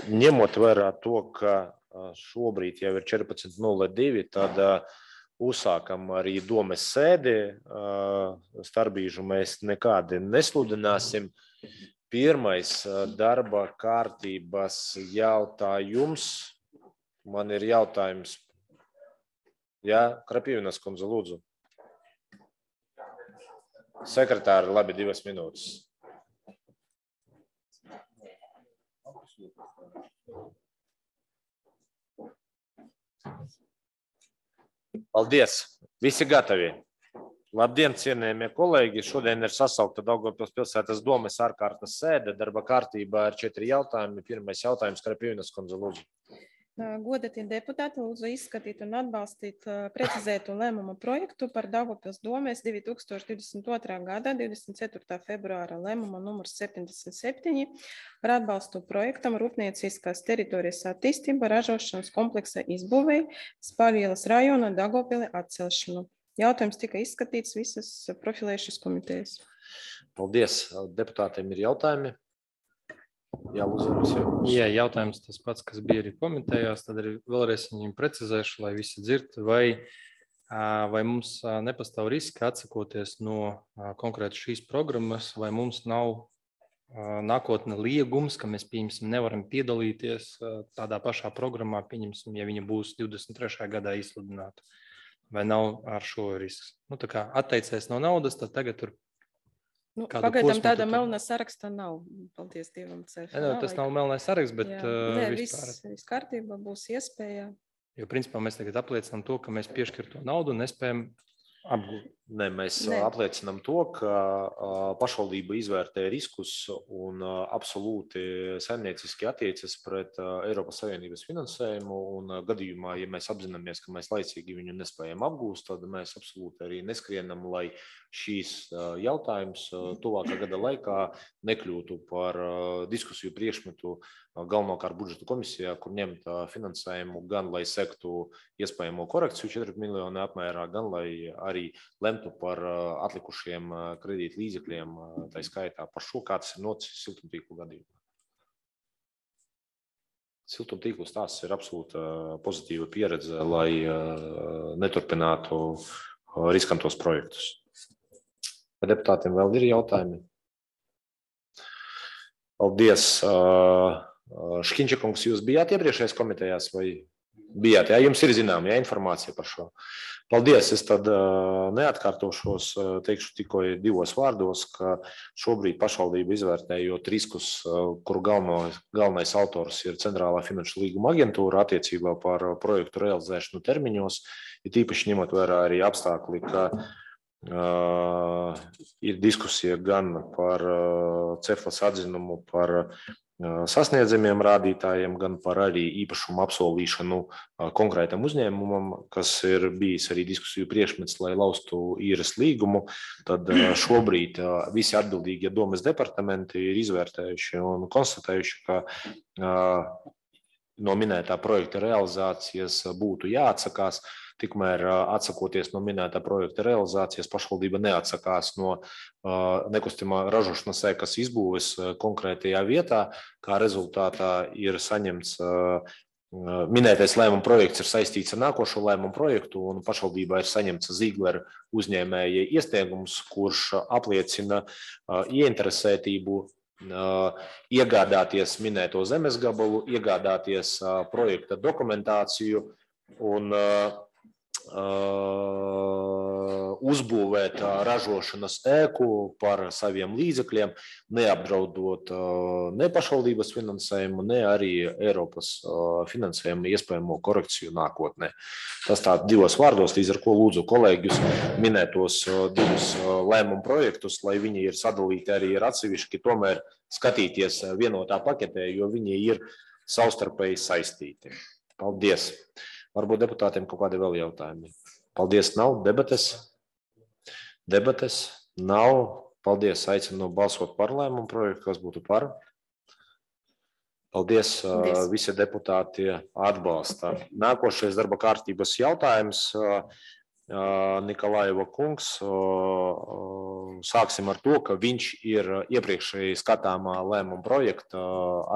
ņemot vērā to, ka šobrīd jau ir 14:02, tad uzsākam arī domes sēdi. Starpbrīžu mēs nekādi nesludināsim. Pirmais darba kārtības jautājums. Man ir jautājums. Jā, Krapīvinas kundze, lūdzu. Sekretāri, labi, 2 minūtes. Paldies! Visi gatavi! Labdien, cienējamie kolēģi! Šodien ir sasaukta Daugavpils pilsētas domes ārkārtas sēde. Darba kārtībā ir 4 jautājumi. Pirmais jautājums, Krapīvinas kundze, lūdzu. Godatie deputāti, lūdzu izskatīt un atbalstīt precizētu lēmumu projektu par Daugavpils domes 2022. gada 24. februāra lēmuma numurs 77 par atbalstu projektam Rūpnieciskās teritorijas attīstība ražošanas kompleksa izbūvei Spāļielas rajona Daugavpili atcelšanu. Jautājums tika izskatīts visas profilējušas komitejas. Paldies. Deputātiem ir jautājumi? Jā, lūdzu. Jā, jautājums tas pats, kas bija arī komitejās, tad arī vēlreiz viņiem precizēšu, lai visi dzird, vai mums nepastāv riski atsakoties no konkrēti šīs programmas, vai mums nav nākotne liegums, ka mēs, pieņemsim, nevaram piedalīties tādā pašā programmā, pieņemsim, ja viņa būs 23. gadā izsludināta, vai nav ar šo risks. Tā kā atteicies no naudas, tad tagad tur pagaidām tāda melnā saraksta nav. Paldies Dievam, tas nav melnais saraksts, bet viss kārtībā būs iespēja. Jo principā mēs tagad apliecinām to, ka mēs piešķir to naudu un nespējam apgūt. Mēs apliecinām to, ka pašvaldība izvērtē riskus un absolūti saimnieciski attiecas pret Eiropas Savienības finansējumu, un gadījumā, ja mēs apzināmies, ka mēs laicīgi viņu nespējam apgūst, tad mēs absolūti arī neskrienam, lai šīs jautājums tuvākā gada laikā nekļūtu par diskusiju priekšmetu galvenokārt budžeta komisijā, kur ņemt finansējumu gan, lai sektu iespējamo korekciju 4 miljonu apmērā, gan, lai arī lemtu par atlikušiem kredīt līdzekļiem, tā skaitā par šo, kā tas ir noticis siltumtīklu gadījumā. Siltumtīklu stāsts ir absolūta pozitīva pieredze, lai neturpinātu riskantos projektus. Vai deputātiem vēl ir jautājumi? Paldies. Škiņčakungs, jūs bijāt iepriekšējās komitejās vai bijāt? Jā, jums ir zinām, informācija par šo. Paldies, es tad neatkārtošos, teikšu tikai 2 vārdos, ka šobrīd pašvaldība izvērtējot riskus, kuru galvenais autors ir Centrālā finanšu līguma aģentūra attiecībā par projektu realizēšanu termiņos, ir tīpaši ņemot vērā arī apstākļi, ka ir diskusija gan par Ceflas atzinumu par sasniedzamiem rādītājiem, gan par arī īpašumu apsolīšanu konkrētam uzņēmumam, kas ir bijis arī diskusiju priekšmets, lai laustu īres līgumu. Tad šobrīd visi atbildīgie domes departamenti ir izvērtējuši un konstatējuši, ka no minētā projekta realizācijas būtu jāatsakās. Tikmēr atsakoties no minētā projekta realizācijas, pašvaldība neatsakās no nekustamā ražošanas ēkas izbūves konkrētajā vietā, kā rezultātā ir saņemts minētais lēmuma projekts ir saistīts ar nākošo lēmumu projektu, un pašvaldībā ir saņemts Ziegler uzņēmēja iesniegums, kurš apliecina ieinteresētību iegādāties minēto zemes gabalu, iegādāties projekta dokumentāciju un uzbūvēt ražošanas ēku par saviem līdzekļiem, neapdraudot ne pašvaldības finansējumu, ne arī Eiropas finansējumu iespējamo korekciju nākotnē. Tas tā 2 vārdos, līdz ar ko lūdzu kolēģus minētos 2 lēmumu projektus, lai viņi ir sadalīti arī ir atsevišķi, tomēr skatīties vienotā paketē, jo viņi ir savstarpēji saistīti. Paldies! Varbūt deputātiem kaut kādi vēl jautājumi. Paldies, nav debates. Debates nav. Paldies, aicinu balsot par lēmumu projektu, kas būtu par. Paldies, visi deputāti atbalsta. Nākošais darba kārtības jautājums Nikolaieva kungs. Sāksim ar to, ka viņš ir iepriekšēji skatāmā lēmuma projekta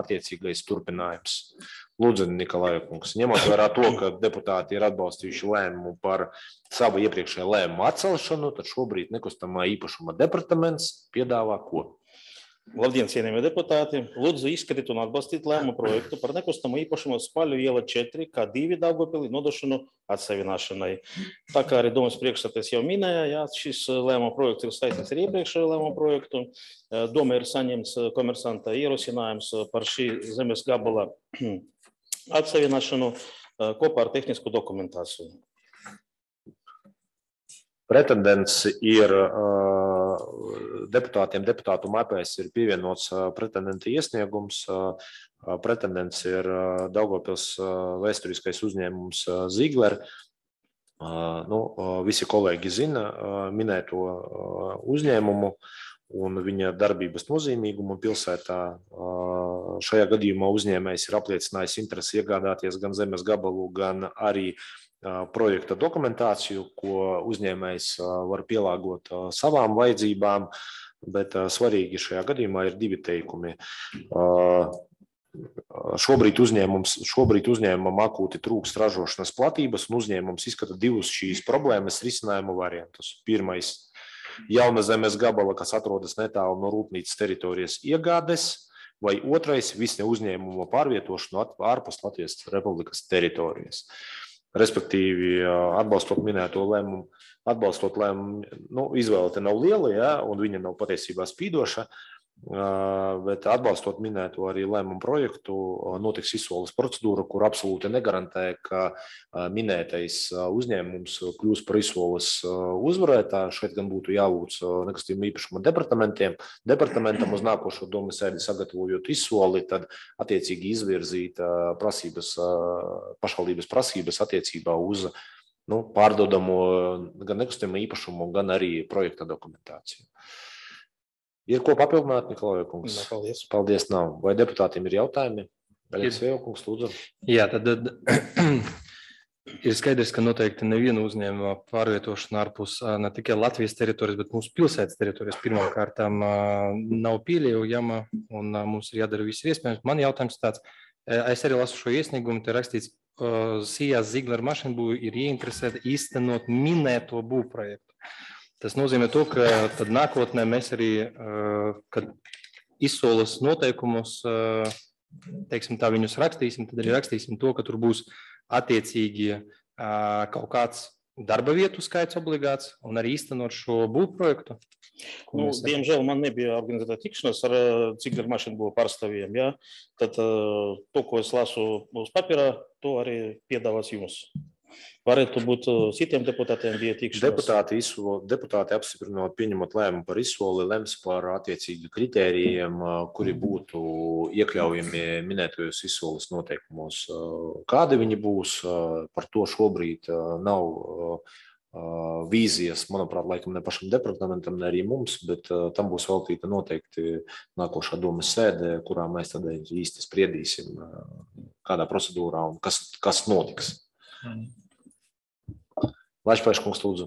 attiecīgais turpinājums. Lūdzu, Nikolaieva kungs, ņemot vērā to, ka deputāti ir atbalstījuši lēmumu par savu iepriekšēju lēmumu atcelšanu, tad šobrīd nekustamā īpašuma departaments piedāvā ko? Labdien, cienījamie deputāti! Lūdzu izskatīt un atbalstīt lēmumu projektu par nekustamo īpašumu Spaļu iela 4, kā 2 Daugavpilī nodošanu atsavināšanai. Tā kā arī domas priekšsēdētājs jau minēja, jā, šis lēmumu projekts ir saistīts ar iepriekšējo lēmumu projektu. Doma ir saņemts komersanta ierosinājums par šī zemes gabala atsavināšanu kopā ar tehnisku dokumentāciju. Pretendents ir deputātiem, deputātu mapēs ir pievienots pretendenta iesniegums. Pretendents ir Daugavpils vēsturiskais uzņēmums Ziegler. Visi kolēģi zina minēto uzņēmumu un viņa darbības nozīmīgumu pilsētā. Šajā gadījumā uzņēmējs ir apliecinājis interesi iegādāties gan zemes gabalu, gan arī projekta dokumentāciju, ko uzņēmējs var pielāgot savām vajadzībām, bet svarīgi šajā gadījumā ir 2 teikumi. Šobrīd uzņēmumam akūti trūkst ražošanas platības, un uzņēmums izskata 2 šīs problēmas risinājumu variantus. Pirmais - jauna zemes gabala, kas atrodas netālu no rūpnīcas teritorijas iegādes, vai otrais - visne uzņēmuma pārvietošanu ārpus Latvijas Republikas teritorijas. Respektīvi, atbalstot minēto lēmumu, izvēle te nav liela, ja, un viņa nav patiesībā spīdoša, bet atbalstot minēto arī lēmumu projektu, notiks izsoles procedūra, kur absolūti negarantē, ka minētais uzņēmums kļūs par izsoles uzvarētāju. Šeit gan būtu jālūdz nekustamā īpašuma departamentam uz nākošo domas sēdi sagatavojot izsoli, tad attiecīgi izvirzīt pašvaldības prasības attiecībā uz pārdodamo gan nekustamā īpašumu, gan arī projekta dokumentāciju. Ir ko papildināt, Nikolaieva kungs? Paldies. Paldies, nav. Vai deputātiem ir jautājumi? Aleksēja kungs, lūdzu. Jā, tad ir skaidrs, ka noteikti neviena uzņēmuma pārvietošana ārpus ne tikai Latvijas teritorijas, bet mūsu pilsētas teritorijas pirmām kārtām nav pieļaujama, un mums ir jādara viss iespējams. Man jautājums tāds, es arī lasu šo iesniegumu, te rakstīts, Sijas Ziegler mašīnbūve ir ieinteresēta īstenot minēto būvprojektu. Tas nozīmē to, ka tad nākotnē mēs arī, kad izsoles noteikumus, teiksim tā, viņus rakstīsim, tad arī rakstīsim to, ka tur būs attiecīgi kaut kāds darba vietu skaits obligāts un arī īstenot šo būvprojektu. Diemžēl man nebija organizēta tikšanās ar Ziegler mašīnbūve pārstāvjiem. Ja? Tad to, ko es lasu uz papīra, to arī piedāvās jums. Varētu būt citiem deputātiem bija tikšanās. Deputāti apstiprinot, pieņemot lēmumu par izsoli, lems par attiecīgi kritērijiem, kuri būtu iekļaujami minētajos izsoles noteikumos. Kādi viņi būs, par to šobrīd nav vīzijas, manuprāt, laikam ne pašam departamentam, ne arī mums, bet tam būs veltīta noteikti nākošā domas sēde, kurā mēs tad īsti spriedīsim, kādā procedūrā un kas notiks. Lačpaiš kungs, lūdzu.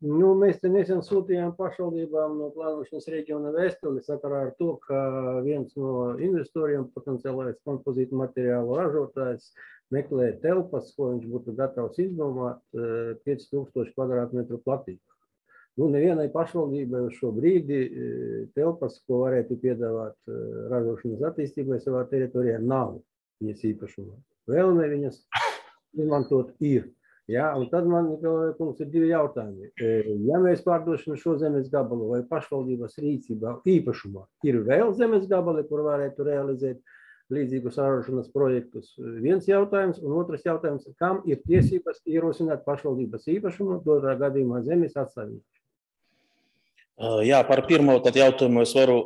Mēs te nesen sūtījām pašvaldībām no plānošanas reģiona vēstuli sakarā ar to, ka viens no investoriem, potenciālais kompozītu materiālu ražotājs, meklē telpas, ko viņš būtu gatavs izdomāt 5000 kvadrātmetru platību. Nevienai pašvaldībai uz šo brīdi telpas, ko varētu piedāvāt ražošanas attīstībai savā teritorijā, nav viņas īpašumā. Vēlme viņas izmantot ir. Ja, un tad man, Nikolaieva kungs, ir 2 jautājumi. Ja mēs pārdošam šo zemes gabalu vai pašvaldības rīcībā īpašumā, ir vēl zemes gabali, kur varētu realizēt līdzīgus ražošanas projektus? Viens jautājums, un otrs jautājums, kam ir tiesības ierosināt pašvaldības īpašumu, dotā gadījumā zemes atsavināšanu? Jā, par pirmo jautājumu es varu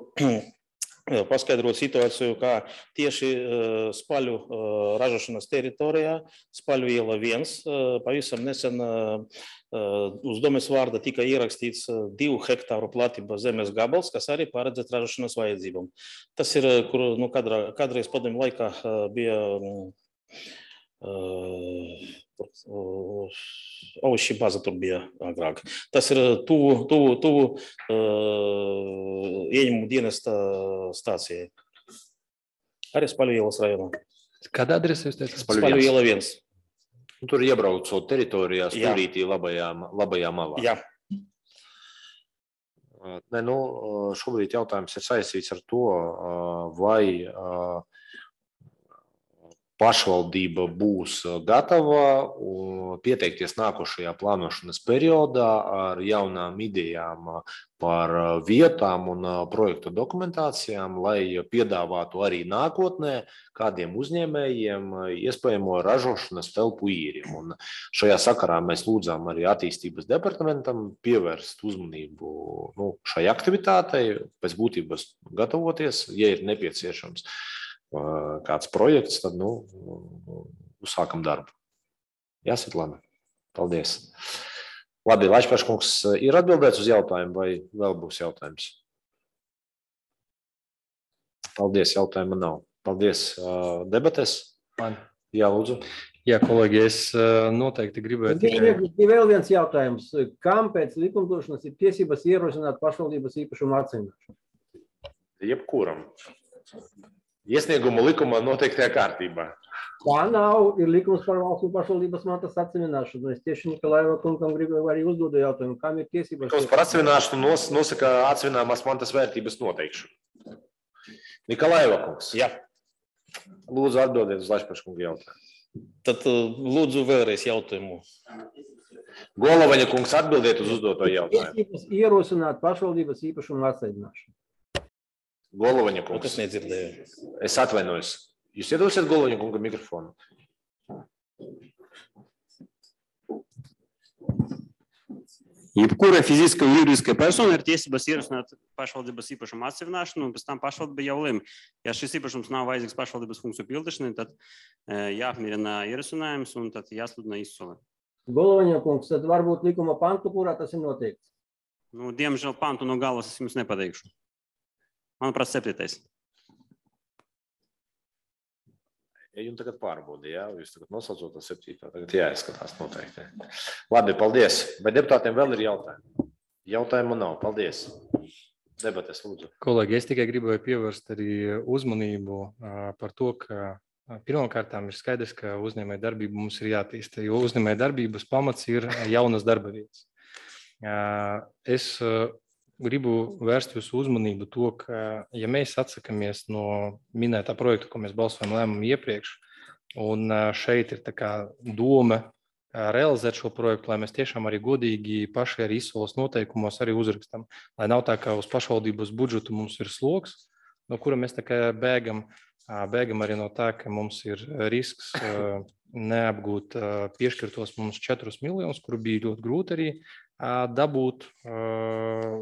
paskaidrot situāciju, kā tieši Spaļu ražošanas teritorijā, Spaļu iela 1, pavisam nesen uz domes vārda tika ierakstīts 2 hektāru platība zemes gabals, kas arī paredzēt ražošanas vajadzībām. Tas ir, kur kādreiz padomju laikā bija Aušī baza tur bija agrāk. Tas ir tuvu ieņemumu dienesta stācijai. Arī Spaļu ielas rajonā. Kādā adresē jūs teicat? Spaļu iela 1. Tur iebraucot teritorijā, stūrītī labajā malā. Jā. Ne, nu, šobrīd jautājums ir saistīts ar to, vai pašvaldība būs gatava pieteikties nākošajā plānošanas periodā ar jaunām idejām par vietām un projektu dokumentācijām, lai piedāvātu arī nākotnē kādiem uzņēmējiem iespējamo ražošanas telpu īri. Un šajā sakarā mēs lūdzām arī attīstības departamentam pievērst uzmanību šai aktivitātei, pēc būtības gatavoties, ja ir nepieciešams kāds projekts, tad uzsākam darbu. Jā, Svetlana. Paldies. Labi, Laišpaškungs, ir atbildēts uz jautājumu vai vēl būs jautājums? Paldies, jautājuma nav. Paldies. Debates? Man. Jā, lūdzu. Jā, kolēģi, es noteikti gribēju tikai... Vēl viens jautājums. Kam pēc likumdošanas ir tiesības ierosināt pašvaldības īpašumu atsevišķināšanu? Jebkuram. Iesniegumu likumā noteiktajā kārtībā. Tā nav, ir likums par valsts un pašvaldības mantas atsevišķināšanu. Es tieši Nikolaiva kungam gribēju arī uzdodu jautājumu, kam ir tiesības... Likums par atsevišķināšanu nosaka atsevišķināmās mantas vērtības noteikšanu. Nikolaiva kungs. Jā. Lūdzu atbildiet uz Laišpaškunga jautājumu. Tad lūdzu vēlreiz jautājumu. Golovaņa kungs, atbildiet uz uzdoto jautājumu. Tiesības ierosināt pašvaldības īpašumu atsevišķināšanu. Golovaņa kungs. Es nedzirdēju. Es atvainojos. Jūs iedosiet Golovaņa kunga mikrofonu? Jebkura fiziska un juridiska persona ir tiesības ierosināt pašvaldības īpašumu atsevišķināšanu, un pēc tam pašvaldība jau lemj. Ja šis īpašums nav vajadzīgs pašvaldības funkciju pildīšanai, tad jāapmierina ierosinājums un tad jāsludina izsole. Golovaņa kungs, tad varbūt likuma pantu, kurā tas ir noteikts? Diemžēl pantu no galvas es jums nepateikšu. Manuprāt, 7. Ja jums tagad pārbaudi, jā? Jūs tagad nosaucot to 7. Tagad jāizskatās noteikti. Labi, paldies. Vai deputātiem vēl ir jautājumi? Jautājumu nav. Paldies. Debates, lūdzu. Kolēģi, es tikai gribēju pievērst arī uzmanību par to, ka pirmkārtām ir skaidrs, ka uzņēmēja darbība mums ir jātīsta, jo uzņēmēja darbības pamats ir jaunas darba vietas. Es gribu vērst jūsu uzmanību to, ka, ja mēs atsakamies no minētā projekta, ko mēs balsojam lēmumu iepriekš, un šeit ir tā kā doma realizēt šo projektu, lai mēs tiešām arī godīgi paši arī izsoles noteikumos arī uzrakstam, lai nav tā, ka uz pašvaldības budžetu mums ir sloks, no kura mēs tā kā bēgam arī no tā, ka mums ir risks neapgūt piešķirtos mums 4 miljonus, kuru bija ļoti grūti arī dabūt,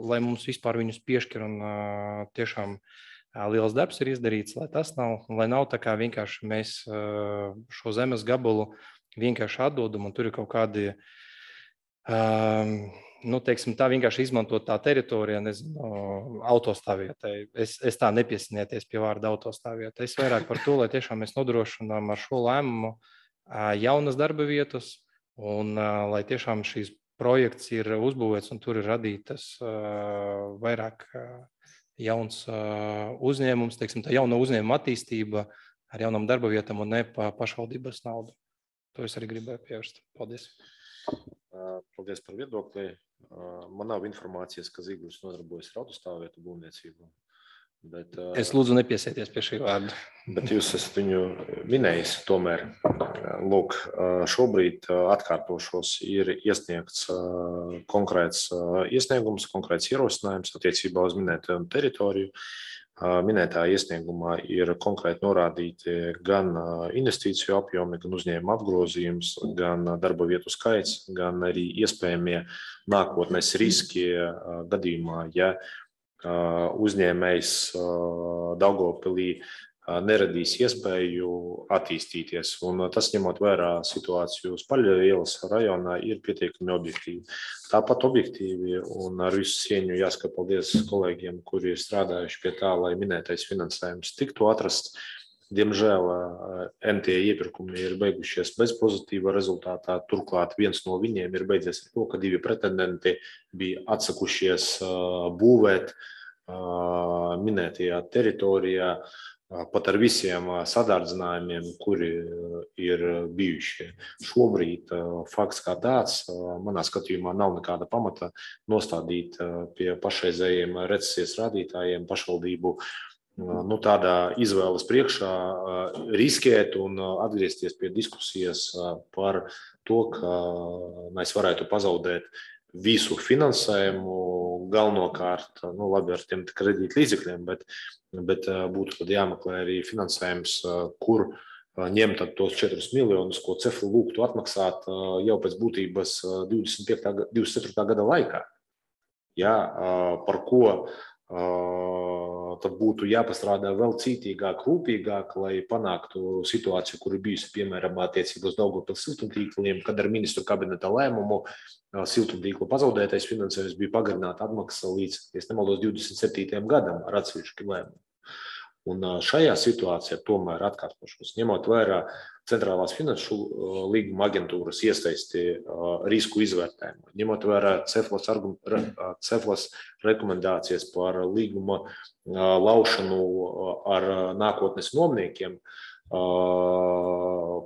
lai mums vispār viņus piešķir, un tiešām liels darbs ir izdarīts, lai tas lai nav tā kā vienkārši mēs šo zemes gabalu vienkārši atdodam, un tur ir kaut kādi, teiksim, tā vienkārši izmantot tā teritorija, nezinu, autostāvvietai. Es tā nepiesinieties pie vārda autostāvvieta. Es vairāk par to, lai tiešām mēs nodrošinām ar šo lēmumu jaunas darba vietas, un lai tiešām šīs projekts ir uzbūvēts un tur ir radītas vairāk jauns uzņēmums, teiksim, tā jauna uzņēmuma attīstība ar jaunām darba vietām un ne pa pašvaldības naudu. To es arī gribēju pievērst. Paldies. Paldies par viedokli. Man nav informācijas, ka Ziglis nodarbojas ar autostāvvietu būvniecību. Bet, es lūdzu nepiesieties pie šī vārda. Bet jūs esat viņu minējis tomēr. Lūk, šobrīd atkārtošos ir iesniegts konkrēts iesniegums, konkrēts ierosinājums attiecībā uz minēto teritoriju. Minētā iesniegumā ir konkrēti norādīti gan investīciju apjomi, gan uzņēmuma apgrozījums, gan darba vietu skaits, gan arī iespējamie nākotnes riski gadījumā, ja uzņēmējs Daugavpilī neradīs iespēju attīstīties. Un tas, ņemot vērā situāciju Spaļu ielas rajonā, ir pietiekami objektīvi. Tāpat objektīvi un ar visu cieņu jāsaka paldies kolēģiem, kuri ir strādājuši pie tā, lai minētais finansējums tiktu atrasts. Diemžēl NT iepirkumi ir beigušies bez pozitīva rezultātā. Turklāt viens no viņiem ir beidzies ar to, ka 2 pretendenti bija atsakušies būvēt minētajā teritorijā pat ar visiem sadārdzinājumiem, kuri ir bijušie. Šobrīd fakts kā tāds, manā skatījumā, nav nekāda pamata nostādīt pie pašreizējiem recesijas rādītājiem pašvaldību tādā izvēles priekšā riskēt un atgriezties pie diskusijas par to, ka mēs varētu pazaudēt visu finansējumu, galvenokārt, labi ar tiem kredīt līdzekļiem, bet būtu tad jāmeklē arī finansējums, kur ņemt tos 4 miljonus, ko Cefla lūgtu atmaksāt jau pēc būtības 24. gada laikā. Ja, par ko tad būtu jāpastrādā vēl cītīgāk, rūpīgāk, lai panāktu situāciju, kur ir bijusi, piemēram, attiecībos Daugavpils siltumtīkliem, kad ar ministru kabineta lēmumu siltumtīkla pazaudētais finansējums bija pagarināta atmaksa līdz, ja nemaldos, 27. gadam ar atsevišķu lēmumu. Un šajā situācijā tomēr atkārtošos, ņemot vērā centrālās finanšu līguma aģentūras iesaisti risku izvērtējumu, ņemot vērā Ceflas rekomendācijas par līguma laušanu ar nākotnes nomniekiem,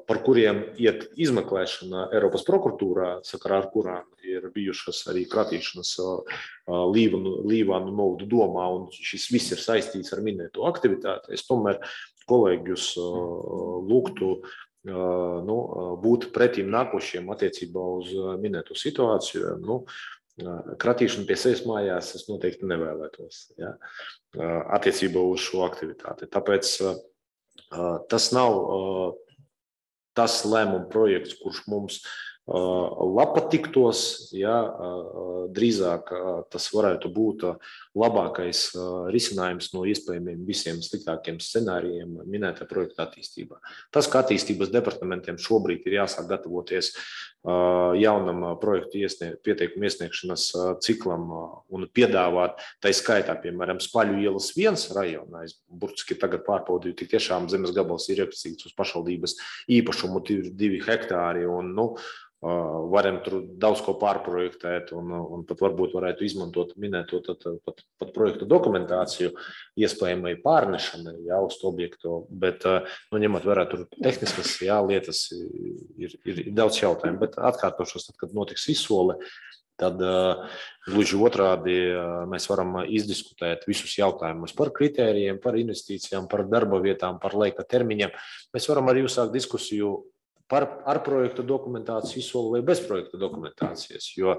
par kuriem iet izmeklēšana Eiropas prokuratūrā, sakarā ar kurām ir bijušas arī kratīšanas Līvānu novadu domā, un šis viss ir saistīts ar minēto aktivitāti. Es tomēr kolēģus lūgtu būt pretīm nākošiem attiecībā uz minēto situāciju. Kratīšanu pie sevis mājās es noteikti nevēlētos, ja, attiecībā uz šo aktivitāti. Tāpēc tas nav tas lēmuma projekts, kurš mums patiktos, ja drīzāk tas varētu būt labākais risinājums no iespējamiem visiem sliktākiem scenārijiem minētā projekta attīstībā. Tas, ka attīstības departamentiem šobrīd ir jāsāk gatavoties jaunam projektu pieteikumu iesniegšanas ciklam un piedāvāt, tai skaitā, piemēram, Spaļu ielas 1 rajonā, es burtiski tagad pārbaudīju, tik tiešām zemes gabals ir iepazīts uz pašvaldības īpašumu 2 hektāri un, varam tur daudz ko pārprojektēt un pat varbūt varētu izmantot minēto pat projektu dokumentāciju iespējamai pārnešanai uz to objektu, bet ņemot vērā tur tehniskas lietas ir daudz jautājumu, bet atkārtošos, tad, kad notiks izsole, tad gluži otrādi mēs varam izdiskutēt visus jautājumus par kritērijiem, par investīcijām, par darba vietām, par laika termiņiem. Mēs varam arī uzsākt diskusiju ar projektu dokumentāciju izsoli vai bez projektu dokumentācijas, jo,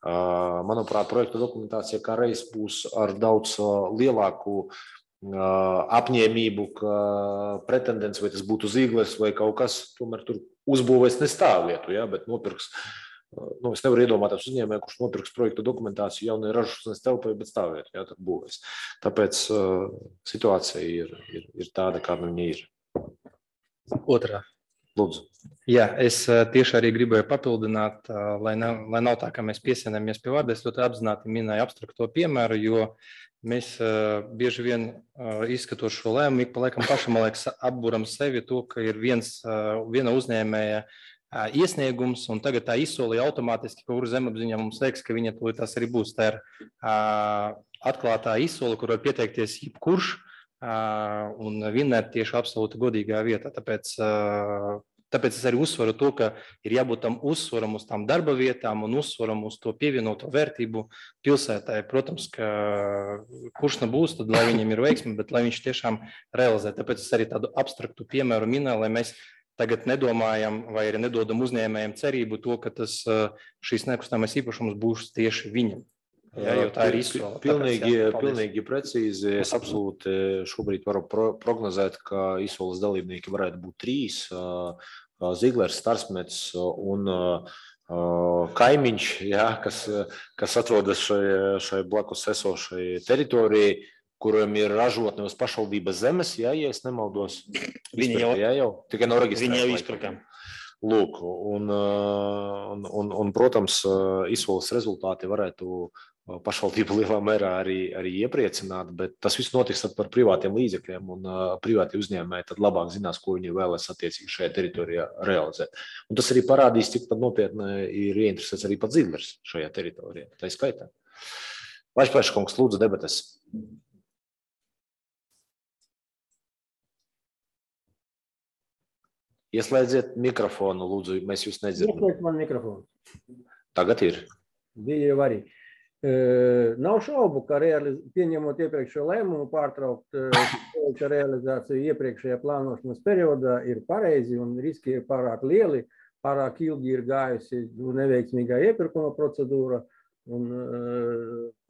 manuprāt, projektu dokumentācija kā reiz būs ar daudz lielāku apņēmību, ka pretendents, vai tas būtu Zīglers vai kaut kas, tomēr tur uzbūvēs ne stāvvietu, ja, bet nopirks, es nevaru iedomāties uzņēmēju, kurš nopirks projektu dokumentāciju jaunai ražošanas telpai, bet stāvvietu, ja, tad būvēs. Tāpēc situācija ir tāda, kāda viņa ir. Otrā. Lūdzu. Jā, es tieši arī gribēju papildināt, lai nav tā, ka mēs piesienāmies pie vārda. Es ļoti apzināti minēju abstrakto piemēru, jo mēs bieži vien izskatot šo lēmumu, ik pa laikam pašam, man liekas, apburam sevi to, ka ir viena uzņēmēja iesniegums, un tagad tā izsolīja automātiski, ka kuru zemapziņā mums liekas, ka viņa tās arī būs. Tā ir atklātā izsole, kur var pieteikties jebkurš, un vinēt tieši absolūti godīgā vietā. Tāpēc es arī uzsveru to, ka ir jābūt tam uzsvaram uz tām darba vietām un uzsvaram uz to pievienoto vērtību pilsētai. Protams, ka kurš nebūs, tad lai viņam ir veiksme, bet lai viņš tiešām realizē. Tāpēc es arī tādu abstraktu piemēru minēju, lai mēs tagad nedomājam vai arī nedodam uzņēmējiem cerību to, ka šīs nekustamais īpašums būs tieši viņam. Jā, jo tā ir izsola. Pilnīgi precīzi. Es absolūti šobrīd varu prognozēt, ka izsoles dalībnieki varētu būt 3. Ziglers, Starsmets un kaimiņš, jā, kas atrodas šai blakus esošai teritorijai, kuriem ir ražotne uz pašvaldības zemes, jā, ja es nemaldos. Viņi jau tikai nav reģistrēti. Viņi jau izpirkām. Lūk, un, protams, izsoles rezultāti varētu pašvaldību lielā mērā arī iepriecināt, bet tas viss notiks par privātiem līdzekļiem, un privāti uzņēmēji tad labāk zinās, ko viņi vēlas attiecīgi šajā teritorijā realizēt. Un tas arī parādīs, cik tad nopietni ir ieinteresēts arī pats Zidlers šajā teritorijā. Tā ir skaitā. Laišpēša kungs, lūdzu debates. Ieslēdziet mikrofonu, lūdzu, mēs jūs nedzirdam. Ieslēgt man mikrofonu. Tagad ir. Bija jau arī. Nav šaubu, ka pieņemot iepriekšējo lēmumu pārtraukt realizāciju iepriekšējā plānošanas periodā ir pareizi un riski ir pārāk lieli, pārāk ilgi ir gājusi neveiksmīgā iepirkuma procedūra un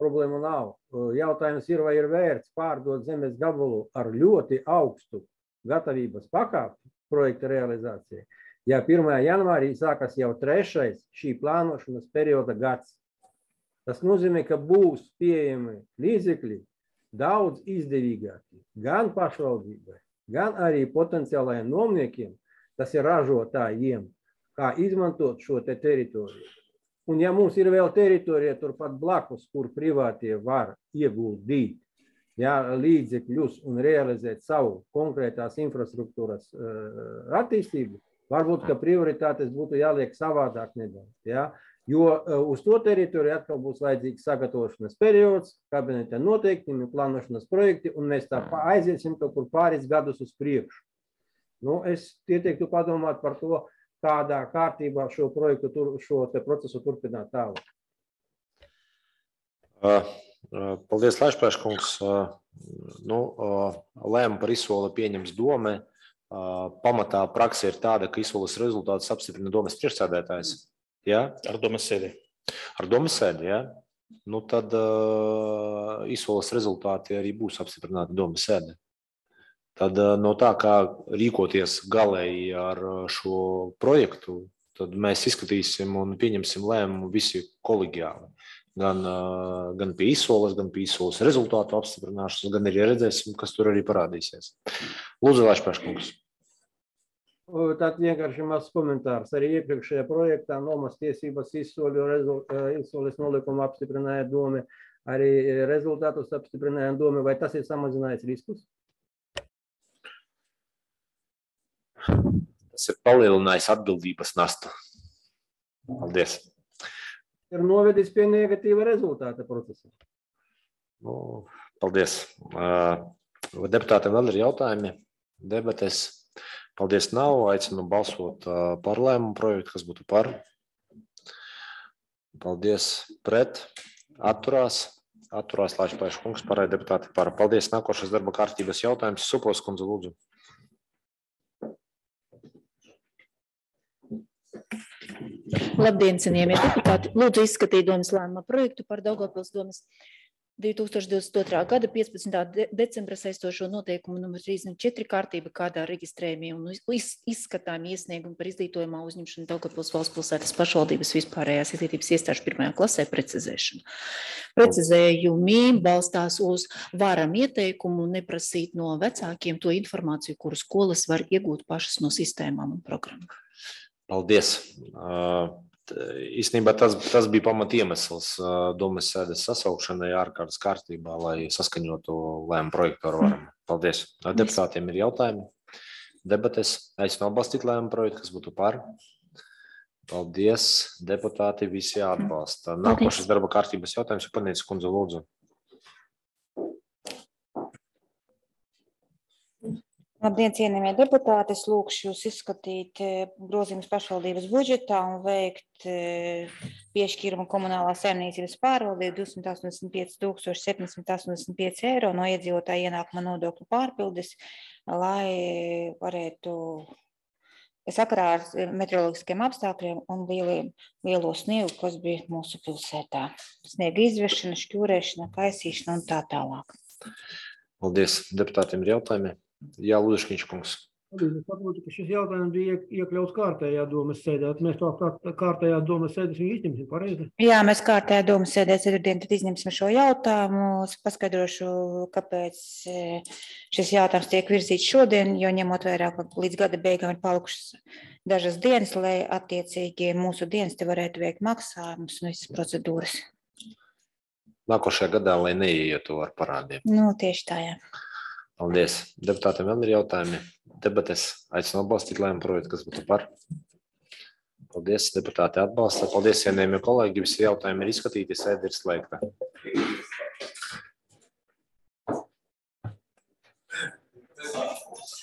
problēma nav. Jautājums ir, vai ir vērts pārdot zemes gabalu ar ļoti augstu gatavības pakāpi projekta realizācija. Ja 1. janvārī sākas jau 3. šī plānošanas perioda gads. Tas nozīmē, ka būs pieejami līdzekļi daudz izdevīgāki gan pašvaldībai, gan arī potenciālajiem nomniekiem, tas ir ražotājiem, kā izmantot šo te teritoriju. Un ja mums ir vēl teritorija turpat blakus, kur privātie var ieguldīt līdzekļus un realizēt savu konkrētās infrastruktūras attīstību, varbūt, ka prioritātes būtu jāliek savādāk nedaudz. Ja? Jo uz to teritoriju atkal būs vajadzīgs sagatavošanas periods, kabineta noteiktumi, plānošanas projekti, un mēs tā aiziesim kaut kur pāris gadus uz priekšu. Nu, es ieteiktu padomāt par to, kādā kārtībā šo projektu, šo te procesu turpināt tālāk. Paldies, Laišpēša kungs. Lēmumu par izsoli pieņems dome. Pamatā praksa ir tāda, ka izsoles rezultātus apstiprina domes priekšsēdētājs. Ja? Ar domes sēdi. Ar domes sēdi, ja? Nu, tad izsoles rezultāti arī būs apstiprināti domes sēdi. Tad no tā, kā rīkoties galēji ar šo projektu, tad mēs izskatīsim un pieņemsim lēmumu visi kolegiāli. Gan pie izsoles, gan pie izsoles rezultātu apstiprināšanas, gan arī redzēsim, kas tur arī parādīsies. Lūdzu, Laišpēša kungs. Tad vienkārši mazs komentārs. Arī iepriekšējā projektā nomas tiesības izsoles nolikumu apstiprināja dome, arī rezultātus apstiprināja dome. Vai tas ir samazinājis riskus? Tas ir palielinājis atbildības nastu. Paldies. Ir novedis pie negatīva rezultāta procesa. Paldies. Deputātiem vēl ir jautājumi, debates. Paldies nav. Aicinu balsot par lēmumu projektu, kas būtu par. Paldies pret. Atturās. Atturās Laišpēša kungs, pārējie deputāti par. Paldies. Nākošais darba kārtības jautājums. Supos kundze, lūdzu. Labdien, cienījamie deputāti. Lūdzu izskatīt domes lēmuma projektu par Daugavpils domes 2022. gada 15. decembra saistošo noteikumu numur 34 kārtība, kādā reģistrējumi un izskatāmi iesniegumi par izdītojumā uzņemšanu Daugavpils valsts pilsētas pašvaldības vispārējās izglītības iestāžu 1. klasē precizēšanu. Precizējumi balstās uz varam ieteikumu neprasīt no vecākiem to informāciju, kuru skolas var iegūt pašas no sistēmām un programmām. Paldies. Īstenībā tas bija pamat iemesls domes sēdes sasaukšanai ārkārtas kārtībā, lai saskaņotu lēmumu projektu ar varam. Paldies. Deputātiem ir jautājumi. Debates. Aicinu atbalstīt lēmumu projektu, kas būtu par. Paldies. Deputāti visi atbalsta. Nākošais darba kārtības jautājums. Panītis kundze, lūdzu. Labdien, cienījamie deputāti, es lūkšu jūs izskatīt grozījumus pašvaldības budžetā un veikt piešķīrumu komunālā saimniecības pārvaldību 285 785 eiro no iedzīvotāja ienākuma nodokļu pārpildes, lai varētu sakarā ar meteoroloģiskiem apstākļiem un lielo sniegu, kas bija mūsu pilsētā. Sniega izvešana, šķūrēšana, kaisīšana un tā tālāk. Paldies. Deputātiem ir jautājumi. Jā, Lūdeškiņš kungs. Es saprotu, ka šis jautājums bija iekļauts kārtējā domas sēdē. Mēs to kārtējā domas sēdes viņu izņemsim, pareizi? Jā, mēs kārtējā domas sēdē ceturtdien tad izņemsim šo jautājumu. Es paskaidrošu, kāpēc šis jautājums tiek virzīts šodien, jo ņemot vērā, ka līdz gada beigām ir palikušas dažas dienas, lai attiecīgi mūsu dienas te varētu veikt maksājumus un visas procedūras. Nākošajā gadā, lai neietu ar parādiem. Nu, tieši tā, jā. Paldies. Deputātiem vēl ir jautājumi. Debates aicinu atbalstīt lēmumu projektu, kas būtu par. Paldies, deputāti atbalsta. Paldies, cienījamie kolēģi. Visi jautājumi ir izskatīti, sēde ir slēgta.